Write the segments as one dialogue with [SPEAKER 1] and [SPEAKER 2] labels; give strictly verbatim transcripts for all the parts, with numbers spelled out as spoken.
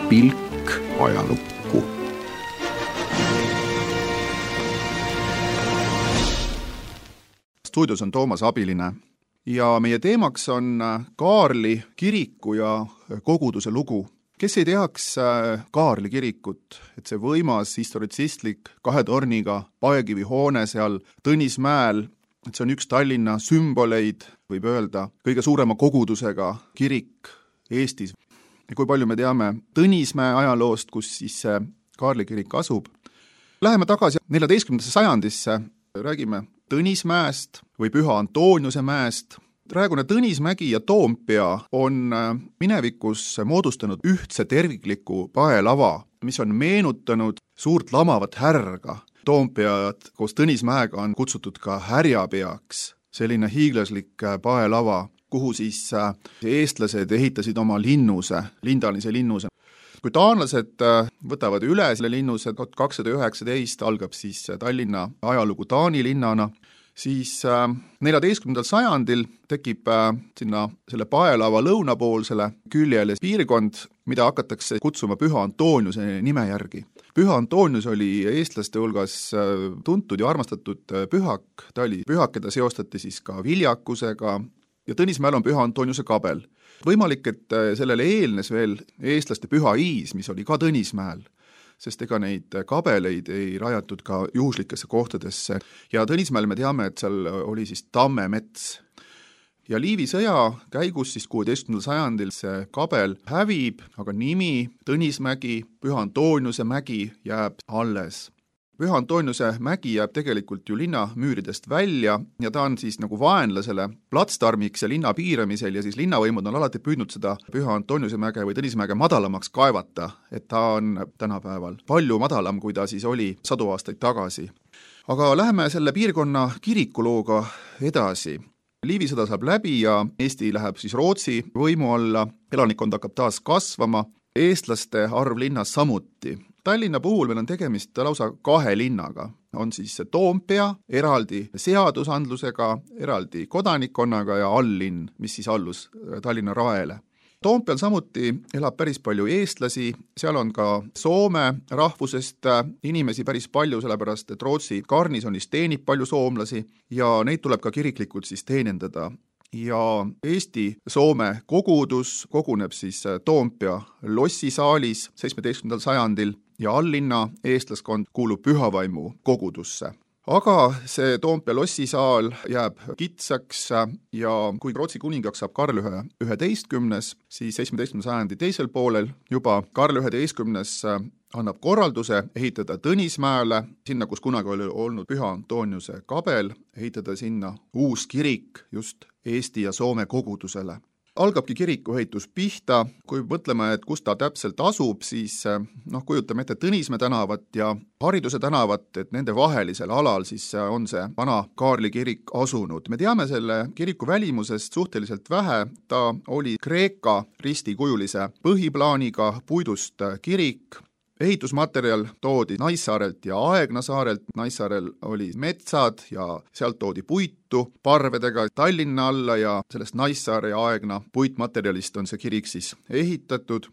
[SPEAKER 1] pilk ajalukku. Stuudios on Toomas Abiline ja meie teemaks on Kaarli kiriku ja koguduse lugu. Kes ei teaks Kaarli kirikut, et see võimas historitsistlik kahe torniga paekivi hoone seal Tõnismäel, et see on üks Tallinna sümboleid, võib öelda, kõige suurema kogudusega kirik Eestis. Ja kui palju me teame Tõnismäe ajaloost, kus siis see Kaarli kirik asub. Läheme tagasi neljateistkümnendasse sajandisse, räägime Tõnismäest või Püha Antoniuse mäest. Praegune Tõnismägi ja Toompea on minevikus moodustanud ühtse tervikliku paelava, mis on meenutanud suurt lamavat härga. Toompead koos Tõnismäega on kutsutud ka härjapeaks, selline hiiglaslik paelava, kuhu siis eestlased ehitasid oma linnuse, lindalise linnuse. Kui taanlased võtavad üle selle linnuse, tuhat kakssada üheksateist algab siis Tallinna ajalugu Taani linnana, siis neljateistkümnendal sajandil tekib sinna selle paelava lõunapoolsele küljele piirkond, mida hakatakse kutsuma Püha Antoniuse nime järgi. Püha Antonius oli eestlaste hulgas tuntud ja armastatud pühak, ta oli pühak, keda seostati siis ka viljakusega ja Tõnismäel on Püha Antoniuse kabel. Võimalik, et sellele eelnes veel eestlaste püha Iis, mis oli ka Tõnismäel, sest ega neid kabeleid ei rajatud ka juhuslikesse kohtadesse. Ja Tõnismäel me teame, et seal oli siis tammemets. Ja Liivi sõja käigus siis kuueteistkümnendal sajandil see kabel hävib, aga nimi Tõnismägi, Püha Antoniuse mägi jääb alles. Püha Antoniuse mägi jääb tegelikult ju linna müüridest välja ja ta on siis nagu vaenlasele platsdarmiks ja linna piiramisel ja siis linnavõimud on alati püüdnud seda Püha Antoniuse mäge või Tõnismäge madalamaks kaevata, et ta on tänapäeval palju madalam, kui ta siis oli sadu aastaid tagasi. Aga läheme selle piirkonna kirikulooga edasi. Liivi sõda saab läbi ja Eesti läheb siis Rootsi võimu alla, elanikkond hakkab taas kasvama, eestlaste arv linnas samuti. Tallinna puhul meil on tegemist lausa kahe linnaga. On siis Toompea, eraldi seadusandlusega, eraldi kodanikkonnaga ja alllinn, mis siis allus Tallinna raele. Toompeal samuti elab päris palju eestlasi, seal on ka Soome rahvusest inimesi päris palju, sellepärast et Rootsi garnisonis teenib palju soomlasi ja neid tuleb ka kiriklikult siis teenindada. Ja Eesti-Soome kogudus koguneb siis Toompea lossisaalis seitsmeteistkümnendal sajandil ja alllinna eestlaskond kuulub Pühavaimu kogudusse. Aga see Toompea lossisaal jääb kitsaks ja kui Rootsi kuningaks saab Karl üheteistkümnes, siis seitsmeteistkümnenda sajandi teisel poolel juba Karl üheteistkümnes annab korralduse ehitada Tõnismäele, sinna, kus kunagi oli olnud Püha Antoniuse kabel, ehitada sinna uus kirik just Eesti ja Soome kogudusele. Algabki kirikuehitus pihta, kui mõtleme, et kus ta täpselt asub, siis noh, kujutame ette Tõnismäe tänavat ja Hariduse tänavat, et nende vahelisel alal siis on see vana Kaarli kirik asunud. Me teame selle kiriku välimusest suhteliselt vähe, ta oli Kreeka ristikujulise põhiplaaniga puidust kirik. Ehitusmaterjal toodi Naissaarelt ja Aegna saarelt, Naissaarel oli metsad ja sealt toodi puitu parvedega Tallinna alla ja sellest Naissaare ja Aegna puitmaterjalist on see kirik siis ehitatud.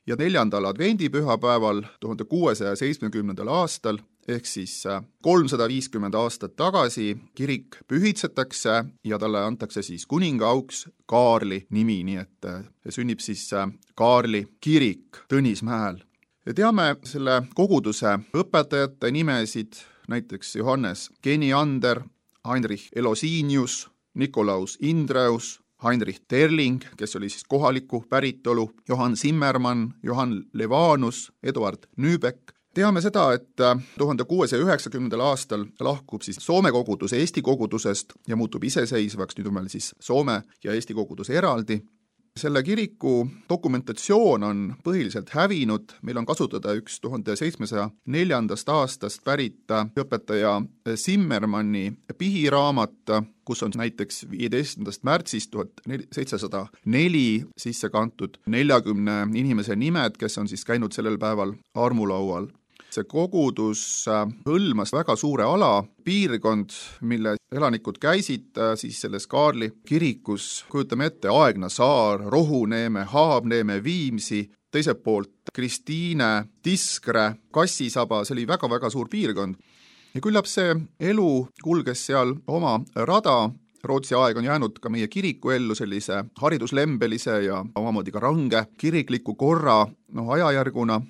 [SPEAKER 1] Ja neljandal advendipühapäeval tuhande kuuesaja seitsmekümnendal aastal ehk siis kolmsada viiskümmend aastat tagasi kirik pühitsetakse ja talle antakse siis kuningaauks Kaarli nimi, nii et sünnib siis Kaarli kirik Tõnismäel. Ja teame selle koguduse õpetajate nimesid, näiteks Johannes Geniander, Heinrich Elosinius, Nikolaus Indreus, Heinrich Terling, kes oli siis kohaliku päritolu, Johann Zimmermann, Johann Levanus, Eduard Nübeck. Teame seda, et tuhande kuuesaja üheksakümnendal aastal lahkub siis Soome kogudus Eesti kogudusest ja muutub iseseisvaks, nüüd on meil siis Soome ja Eesti kogudus eraldi. Selle kiriku dokumentatsioon on põhiliselt hävinud, meil on kasutada üks tuhande seitsmesaja neljandast aastast pärit õpetaja Zimmermanni pihiraamat, kus on näiteks viieteistkümnendast märtsist tuhat seitsesada neli sisse kantud neljakümne inimese nimed, kes on siis käinud sellel päeval armulaual. See kogudus hõlmas väga suure ala, piirkond, mille elanikud käisid siis selles Kaarli kirikus, kujutame ette Aegna saar, Rohuneeme, Haabneeme, Viimsi, teiselt poolt Kristiine, Tiskre, Kassisaba, see oli väga-väga suur piirkond. Ja küllap see elu kulges seal oma rada. Rootsi aeg on jäänud ka meie kiriku ellu sellise hariduslembelise ja omamoodi ka range kirikliku korra no, ajajärguna.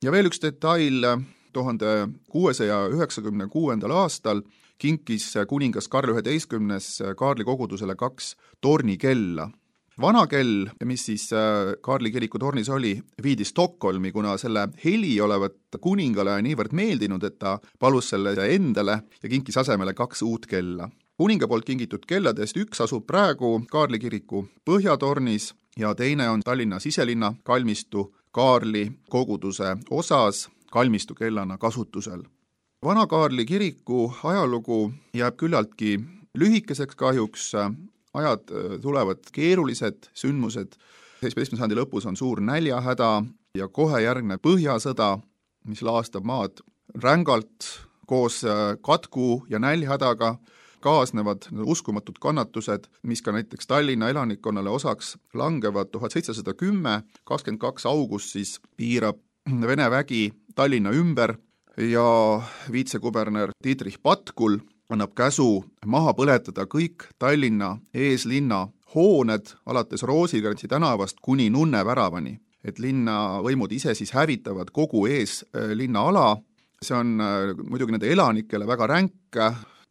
[SPEAKER 1] Ja veel üks detail, tuhande kuuesaja üheksakümne kuuendal aastal kinkis kuningas Karl üheteistkümnes Kaarli kogudusele kaks tornikella. Vana kell, mis siis Kaarli kiriku tornis oli, viidi Stockholmi, kuna selle heli olevat kuningale niivõrd meeldinud, et ta palus selle endale ja kinkis asemele kaks uut kella. Kuninga poolt kingitud kelladest üks asub praegu Kaarli kiriku põhjatornis ja teine on Tallinna siselinna kalmistu Kaarli koguduse osas kalmistu kellana kasutusel. Vana Kaarli kiriku ajalugu jääb küllaltki lühikeseks kahjuks. Ajad tulevad keerulised sündmused. seitsmeteistkümnenda sajandi lõpus on suur näljahäda ja kohe järgneb põhjasõda, mis laastab maad rängalt. Koos katku ja näljahädaga kaasnevad uskumatud kannatused, mis ka näiteks Tallinna elanikkonnale osaks langevad. tuhat seitsesada kümme, kakskümmend kaks august siis piirab Vene vägi Tallinna ümber ja viitsekuberner Dietrich Patkul annab käsu maha põletada kõik Tallinna eeslinna hooned alates Roosikrantsi tänavast kuni Nunne väravani. Et linna võimud ise siis hävitavad kogu eeslinna ala. See on muidugi nende elanikele väga ränk,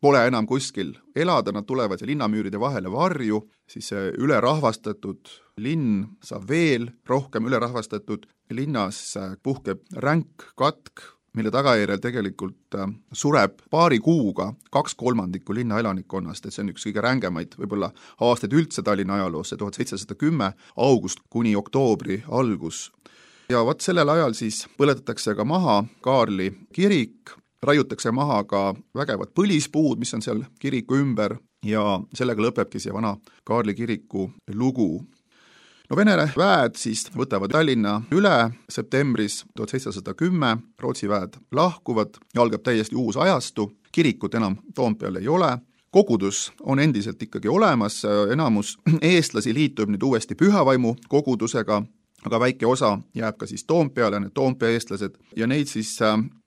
[SPEAKER 1] pole enam kuskil elada, nad tulevad linnamüüride vahele varju, siis see ülerahvastatud linn saab veel rohkem ülerahvastatud. Linnas puhkeb ränk katk, mille tagajärjel tegelikult sureb paari kuuga kaks kolmandikku linna elanikkonnast, et see on üks kõige rängemaid võib-olla aastaid üldse Tallinna ajaloos, tuhat seitsesada kümme august kuni oktoobri algus. Ja vat sellel ajal siis põletatakse ka maha Kaarli kirik, raiutakse maha ka vägevad põlispuud, mis on seal kiriku ümber ja sellega lõpebki see vana Kaarli kiriku lugu. No Vene väed siis võtavad Tallinna üle septembris tuhat seitsesada kümme, Rootsi väed lahkuvad ja algab täiesti uus ajastu, kirikut enam Toompeal ei ole, kogudus on endiselt ikkagi olemas, enamus eestlasi liitub nüüd uuesti Pühavaimu kogudusega, aga väike osa jääb ka siis Toompeale, need Toompea eestlased ja neid siis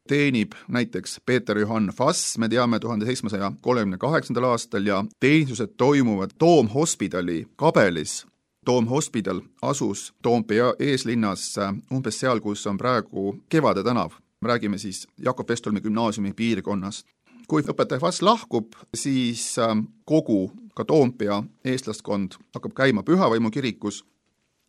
[SPEAKER 1] teenib näiteks Peeter Johann Fass, me teame tuhande seitsmesaja kolmekümne kaheksandal aastal ja teenistused toimuvad Toomhospidali kabelis. Toomhospidal asus Toompea eeslinnas umbes seal, kus on praegu Kevade tänav. Räägime siis Jakob Westholmi gümnaasiumi piirkonnast. Kui õpetaja Fass lahkub, siis kogu ka Toompea eestlaskond hakkab käima Pühavaimu kirikus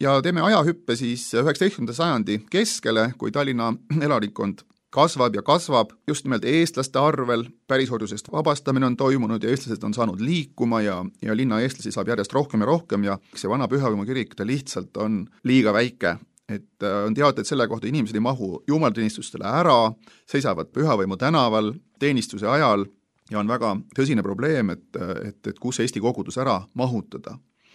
[SPEAKER 1] ja teeme ajahüppe siis üheksateistkümnenda sajandi keskele, kui Tallinna elanikkond kasvab ja kasvab, just nimelt eestlaste arvel, pärisorjusest vabastamine on toimunud ja eestlased on saanud liikuma ja, ja linna eestlasi saab järjest rohkem ja rohkem ja see vana Pühavaimu kirik ta lihtsalt on liiga väike. Et on teada, et selle kohta inimesed ei mahu jumalateenistustele ära, seisavad Pühavaimu tänaval teenistuse ajal ja on väga tõsine probleem, et, et, et kus Eesti kogudus ära mahutada.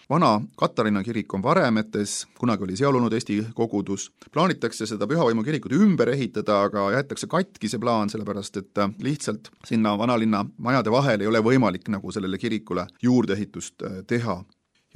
[SPEAKER 1] Vana Katariina kirik on varemetes, kunagi oli seal olnud Eesti kogudus. Plaanitakse seda Pühavaimu kirikut ümber ehitada, aga jäetakse katki see plaan, sellepärast et lihtsalt sinna vanalinna majade vahel ei ole võimalik nagu sellele kirikule juurdeehitust teha.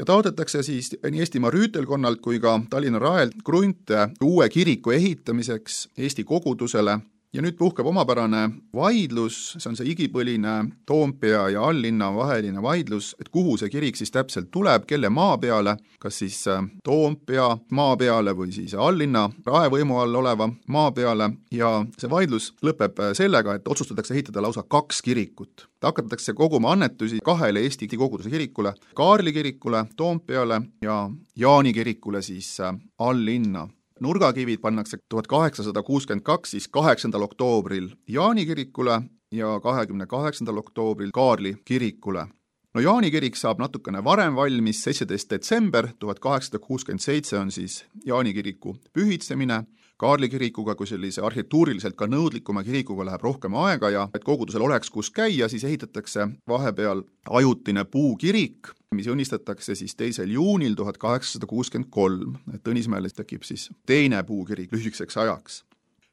[SPEAKER 1] Ja taotletakse siis nii Eestimaa rüütelkonnalt kui ka Tallinna Raelt krunte uue kiriku ehitamiseks Eesti kogudusele. Ja nüüd puhkeb omapärane vaidlus, see on see igipõline Toompea ja alllinna vaheline vaidlus, et kuhu see kirik siis täpselt tuleb, kelle maa peale, kas siis Toompea maa peale või siis alllinna raevõimu all oleva maa peale ja see vaidlus lõpeb sellega, et otsustatakse ehitada lausa kaks kirikut. Ta hakatakse koguma annetusi kahele Eesti koguduse kirikule, Kaarli kirikule, Toompeale ja Jaani kirikule siis alllinna. Nurgakivid pannakse tuhat kaheksasada kuuskümmend kaks siis kaheksandal oktoobril Jaani kirikule ja kahekümne kaheksandal oktoobril Kaarli kirikule. No Jaani kirik saab natukene varem valmis, seitseteist detsember tuhat kaheksasada kuuskümmend seitse on siis Jaani kiriku pühitsemine. Kaarli kirikuga kui sellise arhitektuuriliselt ka nõudlikuma kirikuga läheb rohkem aega ja et kogudusel oleks kus käia, siis ehitatakse vahepeal ajutine puukirik, mis õnnistatakse siis teisel juunil tuhat kaheksasada kuuskümmend kolm. Et Tõnismäele tekib siis teine puukirik lühikeseks ajaks.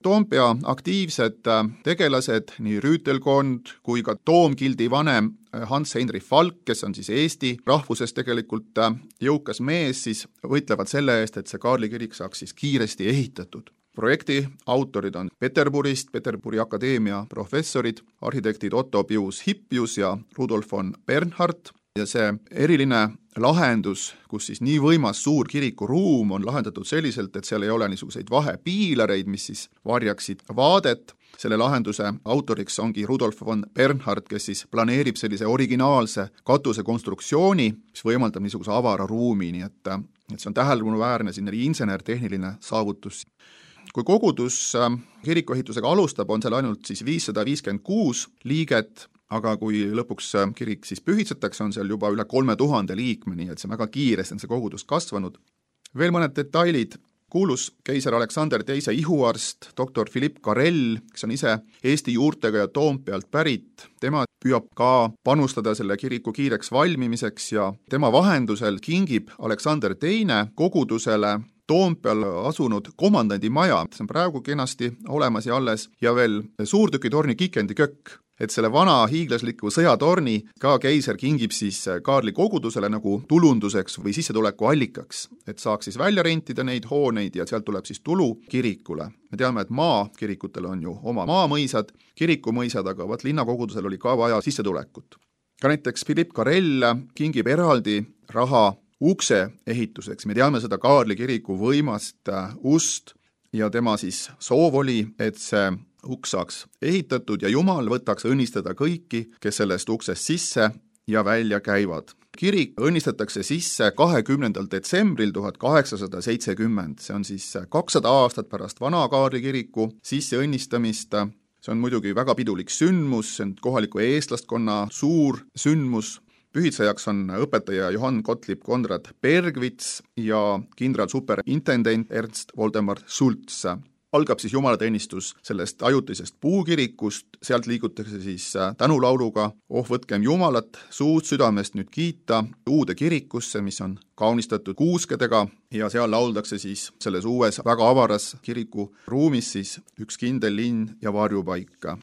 [SPEAKER 1] Toompea aktiivsed tegelased, nii rüütelkond kui ka toomgildi vanem Hans-Heinrich Falk, kes on siis Eesti rahvuses tegelikult jõukas mees, siis võitlevad selle eest, et see Kaarli kirik saaks siis kiiresti ehitatud. Projekti autorid on Peterburist, Peterburi akadeemia professorid, arhitektid Otto Pius Hippius ja Rudolf von Bernhardt. Ja see eriline lahendus, kus siis nii võimas suur kirikuruum on lahendatud selliselt, et seal ei ole niisuguseid vahepiilareid, mis siis varjaksid vaadet. Selle lahenduse autoriks ongi Rudolf von Bernhardt, kes siis planeerib sellise originaalse katuse konstruktsiooni, mis võimaldab niisuguse avara ruumi, nii et, et see on tähelepanuväärne sinna insener-tehniline saavutus. Kui kogudus kirikuehitusega alustab, on seal ainult siis viissada viiskümmend kuus liiget, aga kui lõpuks kirik siis pühitsetakse, on seal juba üle kolme tuhande liikme, nii et see on väga kiiresti on see kogudus kasvanud. Veel mõned detailid. Kuulus keiser Aleksander teise ihuarst, doktor Philipp Karell, kes on ise Eesti juurtega ja Toompealt pärit. Tema püüab ka panustada selle kiriku kiireks valmimiseks ja tema vahendusel kingib Aleksander teine kogudusele Toompeal asunud komandandi maja, see on praegu kenasti olemas ja alles, ja veel suurtükitorni Kikendi kökk. Et selle vana hiiglasliku sõjatorni ka keiser kingib siis Kaarli kogudusele nagu tulunduseks või sissetuleku allikaks, et saaks siis välja rentida neid hooneid ja sealt tuleb siis tulu kirikule. Me teame, et maa kirikutel on ju oma maamõisad, kirikumõisad, aga vaat linnakogudusel oli ka vaja sissetulekut. Ka näiteks Philipp Karell kingib eraldi raha ukse ehituseks. Me teame seda Kaarli kiriku võimast ust ja tema siis soov oli, et see uks saaks ehitatud ja Jumal võtaks õnnistada kõiki, kes sellest uksest sisse ja välja käivad. Kirik õnnistatakse sisse kahekümnendal detsembril tuhat kaheksasada seitsekümmend. See on siis kakssada aastat pärast vana Kaarli kiriku sisse õnnistamist. See on muidugi väga pidulik sündmus, see on kohaliku eestlastkonna suur sündmus. Pühitsejaks on õpetaja Johann Gottlieb Konrad Bergvits ja kindral superintendent Ernst Voldemar Sulz. Algab siis jumalateenistus sellest ajutisest puukirikust, sealt liigutakse siis tänulauluga Oh võtkem Jumalat suust südamest nüüd kiita uude kirikusse, mis on kaunistatud kuuskedega ja seal lauldakse siis selles uues väga avaras kiriku ruumis siis üks kindel linn ja varjupaika.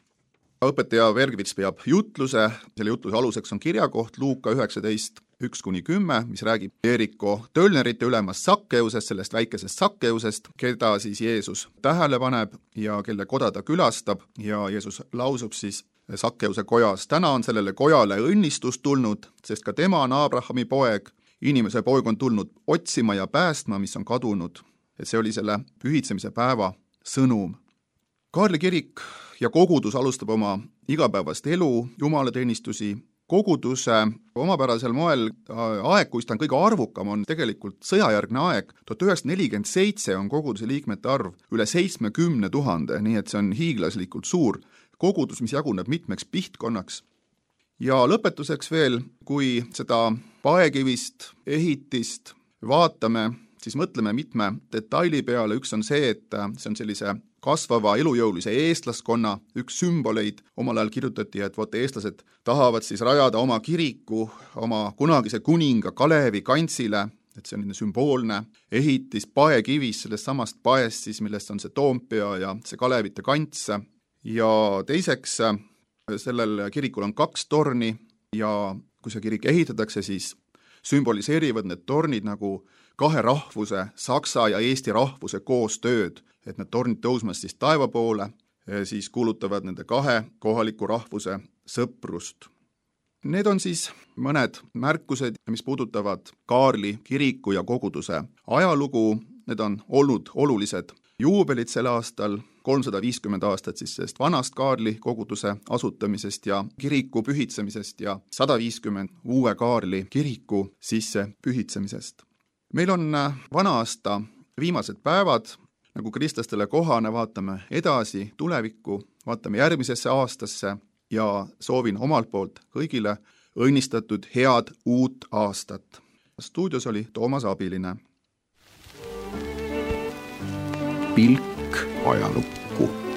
[SPEAKER 1] Õpetaja Bergvits peab jutluse, selle jutluse aluseks on kirjakoht Luuka üheksateist üks kuni kümme, mis räägib Jeeriko tölnerite ülemast Sakkeusest, sellest väikesest Sakkeusest, keda siis Jeesus tähele paneb ja kelle koda ta külastab ja Jeesus lausub siis Sakkeuse kojas. Täna on sellele kojale õnnistus tulnud, sest ka tema on Abrahami poeg, inimese poeg on tulnud otsima ja päästma, mis on kadunud. Et see oli selle pühitsemise päeva sõnum. Kaarli kirik ja kogudus alustab oma igapäevast elu, jumalateenistusi. Koguduse omapärasel moel aeg, kus ta on kõige arvukam, on tegelikult sõjajärgne aeg. tuhat üheksasada nelikümmend seitse on koguduse liikmete arv üle seitsmekümne tuhande, nii et see on hiiglaslikult suur kogudus, mis jaguneb mitmeks pihtkonnaks. Ja lõpetuseks veel, kui seda paekivist ehitist vaatame, siis mõtleme mitme detaili peale. Üks on see, et see on sellise kasvava elujõulise eestlaskonna üks sümboleid. Omal ajal kirjutati, et vot eestlased tahavad siis rajada oma kiriku oma kunagise kuninga Kalevi kantsile, et see on sümboolne ehitis paekivis, sellest samast paest siis, millest on see Toompea ja see Kalevite kants. Ja teiseks, sellel kirikul on kaks torni ja kui see kirik ehitatakse, siis sümboliseerivad need tornid nagu kahe rahvuse, saksa ja eesti rahvuse koostööd, et need tornid tõusmas siis taeva poole, siis kuulutavad nende kahe kohaliku rahvuse sõprust. Need on siis mõned märkused, mis puudutavad Kaarli kiriku ja koguduse ajalugu. Need on olnud olulised juubelid sel aastal, kolmsada viiskümmend aastat siis sellest vanast Kaarli koguduse asutamisest ja kiriku pühitsemisest ja sada viiskümmend uue Kaarli kiriku sisse pühitsemisest. Meil on vana aasta viimased päevad, nagu kristlastele kohane, vaatame edasi tulevikku, vaatame järgmisesse aastasse ja soovin omalt poolt kõigile õnnistatud head uut aastat. Stuudios oli Toomas Abiline. Pilk ajalukku.